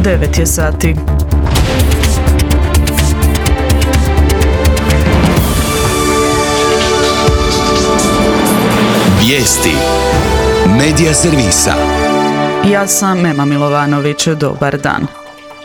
9 je sati. Vijesti Medija servisa. Ja sam Ema Milovanović, dobar dan.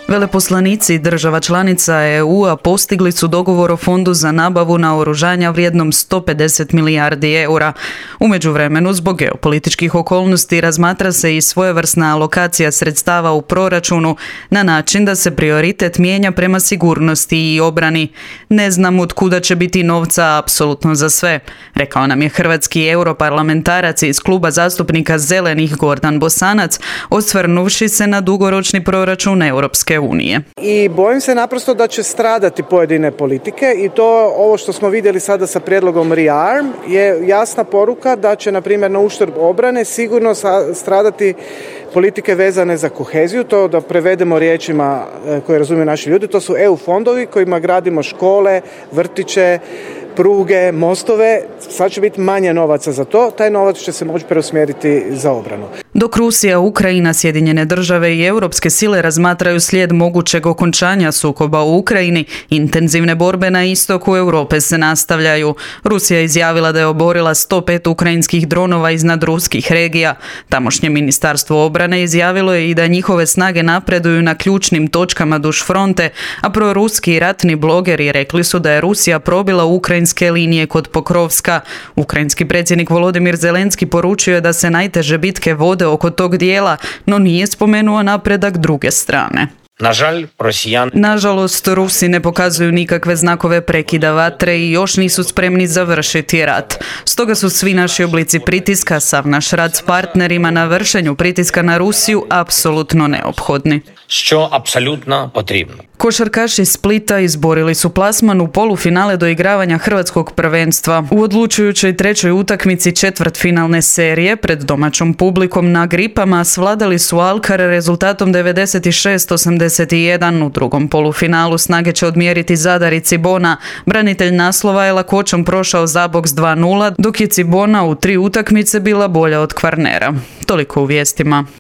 Veleposlanici država članica EU-a postigli su dogovor o fondu za nabavu naoružanja vrijednom 150 milijardi eura. U međuvremenu, zbog geopolitičkih okolnosti, razmatra se i svojevrsna alokacija sredstava u proračunu na način da se prioritet mijenja prema sigurnosti i obrani. Ne znam od kuda će biti novca apsolutno za sve, rekao nam je hrvatski europarlamentarac iz kluba zastupnika Zelenih Gordan Bosanac, osvrnuvši se na dugoročni proračun Europske unije. I bojim se naprosto da će stradati pojedine politike i to ovo što smo vidjeli sada sa prijedlogom REARM je jasna poruka da će na primjer na uštrb obrane sigurno stradati politike vezane za koheziju, to da prevedemo riječima koje razumiju naši ljudi, to su EU fondovi kojima gradimo škole, vrtiće, pruge, mostove, sad će biti manje novaca za to, taj novac će se moći preusmjeriti za obranu. Dok Rusija, Ukrajina, Sjedinjene države i europske sile razmatraju slijed mogućeg okončanja sukoba u Ukrajini, intenzivne borbe na istoku Europe se nastavljaju. Rusija je izjavila da je oborila 105 ukrajinskih dronova iznad ruskih regija. Tamošnje ministarstvo obrane izjavilo je i da njihove snage napreduju na ključnim točkama duž fronte, a proruski ratni blogeri rekli su da je Rusija probila ukrajinske linije kod Pokrovska. Ukrajinski predsjednik Volodimir Zelenski poručio je da se najteže bitke vode oko tog dijela, no nije spomenuo napredak druge strane. Nažalost, Rusi ne pokazuju nikakve znakove prekida vatre i još nisu spremni završiti rat. Stoga su svi naši oblici pritiska, sav naš rad s partnerima na vršenju pritiska na Rusiju apsolutno neophodni. Što apsolutno potrebno. Košarkaši Splita izborili su plasman u polufinale doigravanja hrvatskog prvenstva. U odlučujućoj trećoj utakmici četvrtfinalne serije pred domaćom publikom na Gripama svladali su Alkar rezultatom 96-81. U drugom polufinalu snage će odmjeriti Zadar i Cibona. Branitelj naslova je lakoćom prošao Zaboks 2-0, dok je Cibona u 3 utakmice bila bolja od Kvarnera. Toliko u vijestima.